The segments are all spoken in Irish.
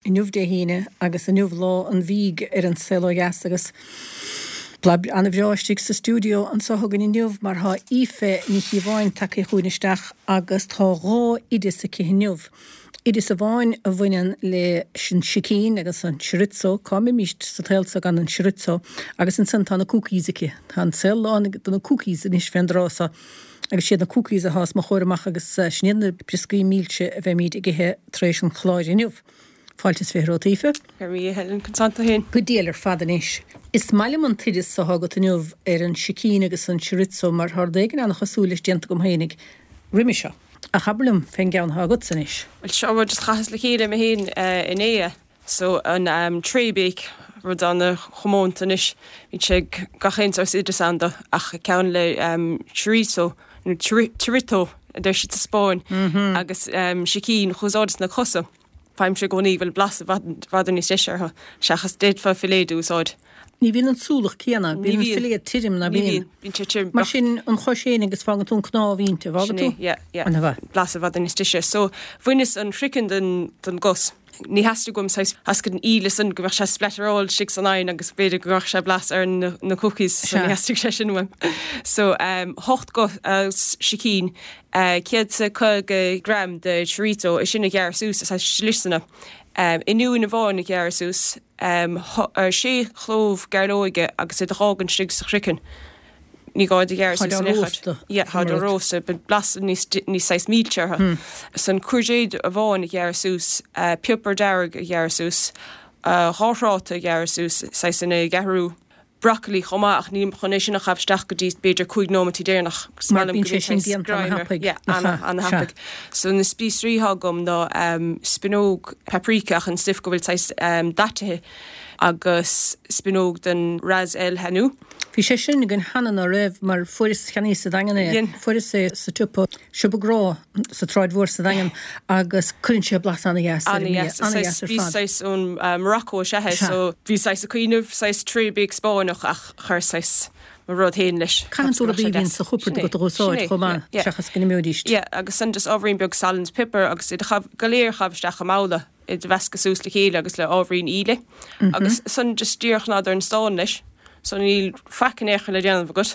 Inniu Dé hAoine agus inniu lá an bhídh ar An Saol Ó Dheas agus blas an-bhreá istigh sa stiúideo anseo againn inniu mar tá Aoife Ní Chíobháin tagtha chugainn isteach agus tá dhá oideas aici inniu. Oideas amháin a bhaineann leis an sicín agus an chorizo, cá mbeimíst sa tsaol seo gan an chorizo, agus ansan tá na cookies aici. Tá an saol lán de na cookies anois fén dtráth seo agus siad na cookies atá os mo chomhair amach agus sin iad na brioscaí milse a bheimíd ag ithe tar éis an chláir inniu. Fáilte is 20 romhat Aoife. Go raibh maith, a Helen, conas tánn tú féin? Go diail ar fad anois. Is maith liom an t-oideas atá agat inniu ar an sicín agus an chorizo mar tá rud éigin an-chosúil leis déanta agam féinig roimhe seo. Ach abair liom fén gceann atá agatsa anois. Bhuel, seo rud just chaitheas le chéile mé féin inné. So an tray bake, rud ana-chomónta anois, bíonn sé ag gach aon saghas oideas ann dó, ach ceann le chorizo, nó chorito a deir siad sa Spáinn, agus sicín, ch'úsáideas na cosa. Faighimse i gcónaí go bhfuil blas i bhfad níos deise orthu, seachas d'fhéadfá filléad a úsáid. Ní bhíonn an súlach céanna, bíonn an filléad tirim, ná bíonn? Ní bhíonn, bíonn sé tirim. Mar sin, an chois fhéin agus fágann tú an cnámh inti, an bhfágann tú? Sin é, yeah, yeah. Blas i bhfad níos deise. So, bhaineas an chraiceann den gcos. Ní theastaigh uaim saghas theascaigh an íle san go mbeadh sé splatteráil istigh san oigheann agus b'fhéidir go gcuirfeadh sé blas ar na cookies so ní theastaigh sé sin uaim. So 8 gcos sicín, 150 gram de chorizo, é sin a ghearradh suas i saghas sliseanna, oinniún amháin a ghearradh suas, sé chlóbh gairleoige agus iad a dh'fhágaint istigh sa chraiceann. Ní gá iad a ghearradh suas in aon chor. Yeah, táid á róstadh, beidh blas níos níos saghas milse orthu. San courgette amháin a ghearradh suas, piopar dearg a ghearradh suas, dhá thráta a ghearradh suas, saghas ina gceathrú, broccoli chomh maith ach nílim chun é sin a chaitheamh isteach go dtí b'fhéidir 5 nóimeataí deireanach. Is maith liom go mbíonn saghas greim air. Yeah, ana-thapaidh. So na spíosraí atá agam ná spinóg paprika ach an stuif go bhfuil saghas daitithe agus spinóg den ras el hanout. Bhí sé sin againn cheana ná raibh, mar fuaireas, cheannaíos sa Daingean é, fuaireas é sa tsiopa, siopa grá sa tSráid Mhór sa Daingean agus cuireann sé blas ana-dheas ar an mbia, ana-dheas ar fad. Bhí saghas ón Morocco is ea é, so bhí saghas ag cuimhneamh saghas tray bake Spáinneach ach chuir saghas mo rud féin leis. Caitheann tú rudaí a bhíonn sa chupard agat a dh'úsáid chomh maith seachas go n-imeoidíst. Yeah, agus ansan just ábhairín beag salann is piobar agus iad a chaitheamh, go léir a chaitheamh isteach i mbabhla. iad a mheascadh suas le chéile agus le ábhairín íle agus san just díreach ná ar an stán leis so níl faic in aon chor le déanamh agat.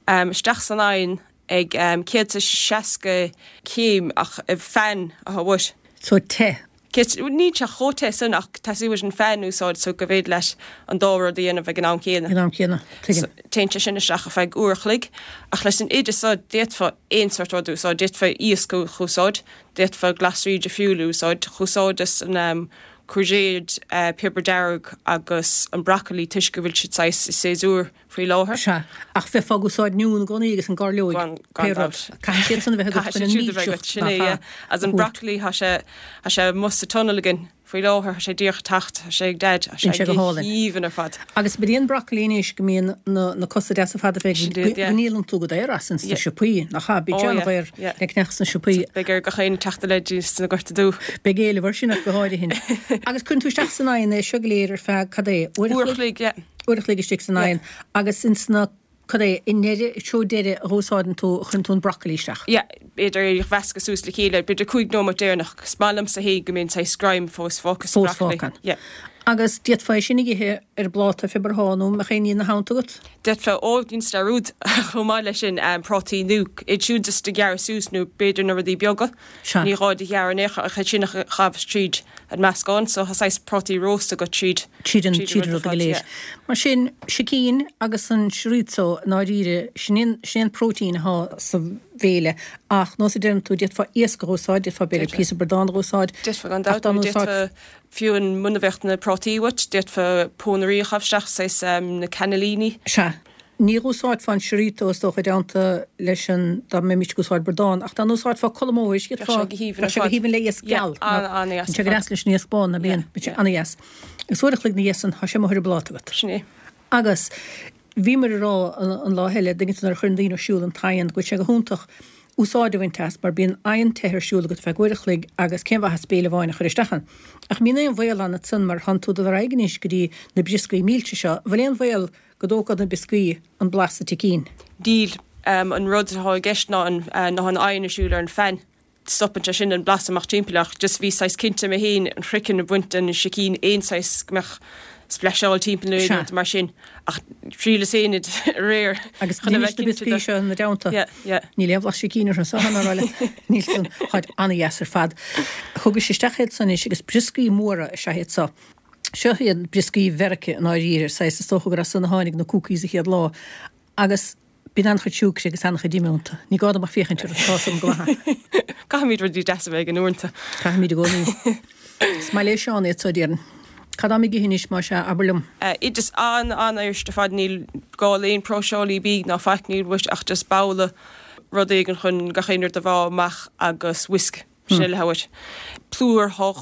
Isteach san oigheann ag 160 céim ach fan atá uait. So te. Níl sé chomh te san ach teastaíonn uait an fan a úsáid so go bhféidir leat an dá rud a dhéanamh ag an am céanna. Ag an am céanna, tuigim. So téann sé sin isteach ar feadh uair a chloig ach leis an oideas so d'fhéadfá aon sort rud a úsáid, d'fhéadfá iasc a úsáid, D'fhéadfá glasraí difriúla a úsáid. Ch'úsáideas an courgette, piobar dearg agus an broccoli toisc go bhfuil siad saghas i séasúr faoi láthair. Sea, ach bheifeá ag úsáid oinniún i gcónaí agus an gairleoig, pé rud. Caithfidh siad san a bheith agat chun an mílseacht, nach ea, a Agus an broccoli, tá sé, tá sé amuigh sa tunnel againn. Faoi láthair, tá sé díreach ag teacht, tá sé ag Daid, tá sé go haoibhinn ar fad. Agus bíonn an broccoli anois go mbíonn na cosa deasa fada fé go ndíolann tú go daor as ins na siopaí, nach ea? Bíonn sé an-dhaor le ceannach sna siopaí. Beidh ar gach éinne teacht i leith sna gorta dubha. Beidh éileamh air sin ach go háirithe. Agus cuireann tú isteach san oigheann é seo go léir ar feadh, cad é, uair a chloig? Uair a chloig, yeah. Uair a chloig istigh san oigheann agus ins na Cad é, i ndeireadh, i dtreo deiridh a dh'úsáideann tú, a chuireann tú an broccoli isteach? Yeah, b'fhéidir é a mheascadh suas le chéile, b'fhéidir 5 nóiméad deireanach. Is maith liomsa féin go mbíonn saghas greim fós fágtha sa broccoli. Fós fágtha. Yeah. Agus d'fhéadfá é sin a dh'ithe ar an bpláta pé ar bith nó an mbeadh aon ní ina theannta agat? D'fhéadfá, ó, déan dearúd chomh maith leis sin, prátaí nó iad siúd just a ghearradh suas nó b'fhéidir na rudaí beaga. Sea. Ní gá iad a ghearradh in aon chor ach iad sin a chaitheamh tríd an meascán so tá saghas prátaí rósta agat tríd Tríd an tríd an rud go léir. Mar sin, sicín agus an chorizo i ndáiríre, sin é sin é an próitéin atá sa bhéile ach nós a deireann tú, d'fhéadfá iasc a dh'úsáid, d'fhéadfá b'fhéidir píosa bradán a dh'úsáid D'fhéadfá gan dabht, nó d'fhéadfá fiú an muna bheadh na prátaí uait, d'fhéadfá pónairí a chaitheamh isteach, saghas na cannellini. Sea. Ní dh'úsáidfeá an chorizo is dócha i dteannta leis an, dá mbeimis ag úsáid bradán, ach dá n-úsáidfeá colm óir, Bheadh sé go haoibhinn ar fad. Bheadh sé go haoibhinn le iasc geal. An-dheas. Bíonn sé go deas leis an iasc bán, ná bíonn? Bíonn sé an-dheas. Agus uair a chloig na dhiaidh san, tá sé amuigh ar an bpláta agat. Sin é. Agus bhíomar ag rá an lá eile, dtuigeann tú nuair a chuireann daoine ar siúl an t-oigheann, go bhfuil sé go hiontach úsáid a bhaint as mar bíonn oigheann te ar siúl agat ar feadh uair a chloig agus cén mhaitheas béile amháin a chur isteach ann. Ach an mbíonn aon bhaol ann ansan mar thánn tú ag dul ar aghaidh anois go dtí na brioscaí milse seo, an bhfuil aon bhaol go dtógfadh na brioscaí an blas sa tsicín. Níl. An rud atá i gceist ná an ná an oigheann ar siúl ar an fan. Stopann sé sin an blas amach timpeall ach just bhí saghas cinnte mé féin an chraiceann a bhaint den sicín aon saghas go mbeadh spleaiseáil timpeall nó aon rud mar sin ach thriaileas féin iad aréir Agus chun a bheith cinnte de. seo ina dteannta. Yeah, yeah. Níl aon bhlas sicín orthu so mar le níl san táid an-dheas ar fad. Thugais isteach iad san anois agus brioscaí móra is ea iad so. Seo iad brioscaí Mheirice i ndáiríre, saghas is dócha gur as san a tháinig na cookies a chéad lá. Agus bíonn an-chuid siúcra agus an-chuid ime iontu. Ní gá dom ach féachaint orthu, tá 'fhios a'm go maith. Caithfimid rudaí deasa a bheith againn uaireanta. Caithfimid i gcónaí. Is maith le Seán iad so, déarfainn. Cad táim ag ithe anois, más ea, abair liom. Oideas an-an-fhuirist ar fad, níl gá le aon próiseálaí bídh ná faic, níl uait ach just babhla, rud éigin chun gach aon rud a mheá amach agus whisk. Sin uile atá uait. Plúr, thá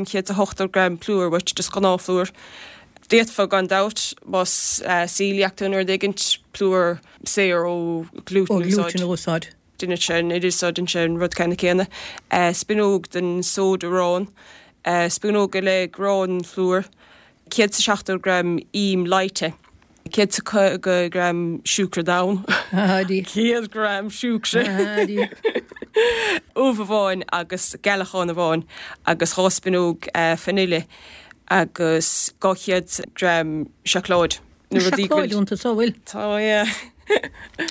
280 gram plúir uait, just gnáthphlúr. D'fhéadfá gan dabht, más celiac tú nó rud éigint, plúr saor ó ghlútan a úsáid. a úsáid. Déanann sé an oiread so, déanann sé an rud ceanna céanna. Spúnóg den sóid aráin. Spúnóg go leith gránphlúr. 170 gram im leáite. 150 gram siúcra donn. 100 gram siúcra. Ubh amháin agus gealachán amháin agus 2 spúnóg fanaile agus 200 gram seacláid. Na rudaí Seacláid iontu so, bhfuil? Tá, yeah.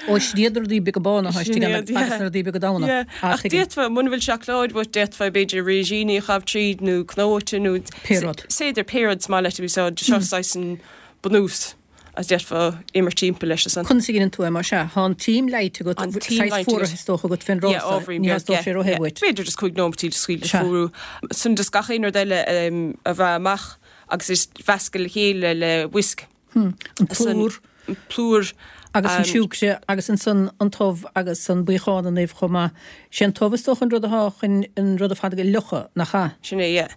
Ó, sin iad na rudaí beaga bána atá istigh ann agus na rudaí beaga donn. Yeah. Ach d'fhéadfá, muna bhfuil seacláid uait, d'fhéadfá b'fhéidir rísíní a chaitheamh tríd nó cnóite nó Pé rud. Is féidir pé rud is maith leat a úsáid. Seo saghas an bunús agus d'fhéadfá imirt timpeall leis ansan. Conas a dheineann tú é, más ea? Tá an t-im leáite agat, An t-im saghas leáite agat. fuaraithe is dócha agat fén Yeah, dtráth so, ábhairín ní beag, theastódh sé róthe uait. B'fhéidir just 15 nóimeataí just scaoileadh Sea. fuarú. Ansan just gach aon rud eile a mheá amach agus is mheascadh le chéile le whisk. An plúr. An plúr. Agus an siúcra agus ansan an t-ubh agus an buíochán an uibh chomh maith. Sé an t-ubh is dócha an rud atá chun an rud ar fad a fhliuchadh, nach ea? Sin é, yeah.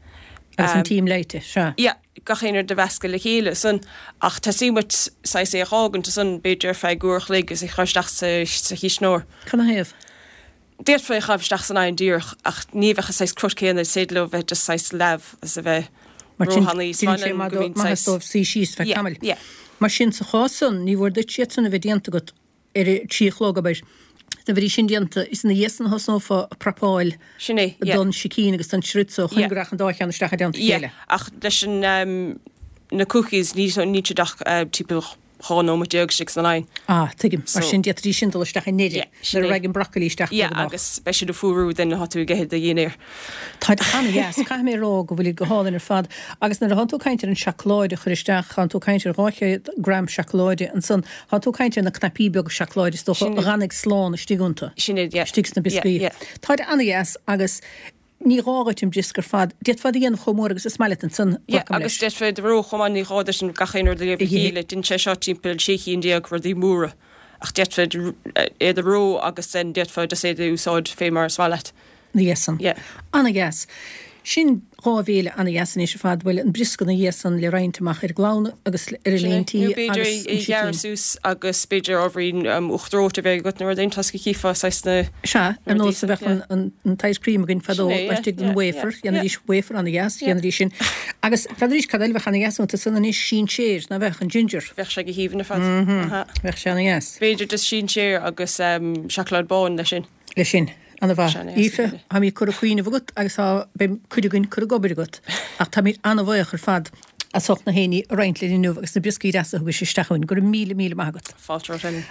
Agus an t-im leáite, sea. Yeah, gach aon rud a mheascadh le chéile ansan ach teastaíonn uait saghas é a dh'fhágaint ansan b'fhéidir ar feadh uair a chloig agus é a chur isteach sa chisneoir. Cad 'na thaobh? D'fhéadfá é a chaitheamh isteach san oigheann díreach ach ní bheadh an saghas crut céanna, is féidir leo bheith just saghas leamh agus a bheith Mar sin, róthanaí. Is déanann sé maith liom go mbíonn saghas. dóibh suí síos feadh Yeah, tamaill. yeah. Mar sin, sa chás san, ní mhór duit iad san a bheith déanta agat ar a trí a chlog, abair. Dá mbeidís sin déanta, is ina dhiaidh san a thosnófá ag prapáil Sin é, yeah. don sicín agus don chorizo chun Yeah. go rachadh an dá cheann isteach i dteannta a Yeah, chéile. ach leis an, na cookies, ní, níl siad ach timpeall 12 nóiméad istigh san oigheann. Ah, tuigim. Mar sin, d'fhéadfaidís sin dul isteach i ndeireadh, nuair a raghaidh an broccoli isteach de ghnáth. Yeah, agus beidh siad ag fuarú then atá tú ag ithe do dhinnéar. Táid an-dheas, caithfidh mé a rá go bhfuilid go hálainn ar fad. Agus nuair atánn tú ag caint ar an seacláid a chur isteach, tánn tú ag caint ar 200 gram seacláide ansan, tánn tú ag caint ar na cnaipí beaga seacláide is dócha a dh'fhanfaidh slán istigh iontu. Sin iad, yeah. Istigh sna brioscaí. Yeah, yeah. Táid an-dheas agus Ní gá dhuit an briosca ar fad. D'fhéadfá iad a dhéanamh chomh mór agus is maith leat ansan, Yeah, glacaim agus leis. d'fhéadfá iad a reo chomh maith, ní gá duit an gach aon rud a léamh le chéile. Dhein sé seo timpeall 16 chinn rudaí móra. Ach d'fhéadfá iad a reo agus then d'fhéadfá just iad a úsáid fé mar is maith leat. Na dhiaidh san. Yeah. Ana-dheas. Sin dhá bhéile ana-dheas anois ar fad. Bhuel, an briosca na dhiaidh san le roinnt amach ar an gclann agus ar an Sin é. líon tí Nó b'fhéidir agus é an a sicín. ghearradh suas agus b'fhéidir ábhairín uachtar reoite a bheith agat nó rud éigin toisc go gcífeá saghas na Sea, ar nós a bheadh an t-ice cream againn fadó laistigh den wafer, dhéanaidís wafer ana-dheas, dhéanaidís sin. Agus n'fheadar cad eile a bheadh ana-dheas iontu san anois, sinséir, ná beadh, an ginger. Bheadh sé go haoibhinn ar fad. Bheadh sé ana-dheas. B'fhéidir just sinséir agus seacláid bán leis sin. Leis sin. Ana-mhaith. Aoife, táimid curtha ag cuimhneamh agat agus tá, beidh cuid againn curtha ag obair agat. Ach táimid ana-bhaoch ar fad as ucht na héinní a roinnt linn inniu agus na brioscaí deasa a thugais isteach chugainn. Go raibh míle, míle maith agat. Fáilte romhat, Ellen.